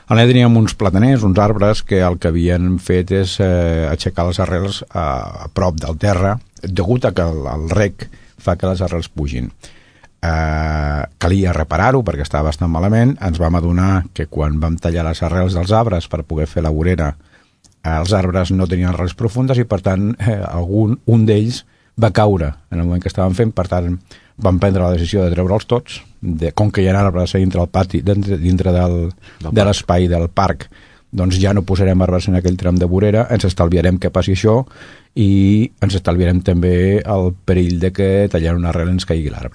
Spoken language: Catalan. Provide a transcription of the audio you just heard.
Allà teníem uns plataners, uns arbres, que el que havien fet és aixecar les arrels a prop del terra, degut a que el rec fa que les arrels pugin. Calia reparar-ho perquè estava bastant malament. Ens vam adonar que quan vam tallar les arrels dels arbres per poder fer la vorera, els arbres no tenien arrels profundes i per tant un d'ells va caure en el moment que estàvem fent. Per tant vam prendre la decisió de treure'ls tots, com que hi ha arbres dintre del pati, dintre de l'espai del parc, doncs ja no posarem arbres en aquell tram de vorera, ens estalviarem que passi això i ens estalviarem també el perill de que tallant una arrel ens caigui l'arbre.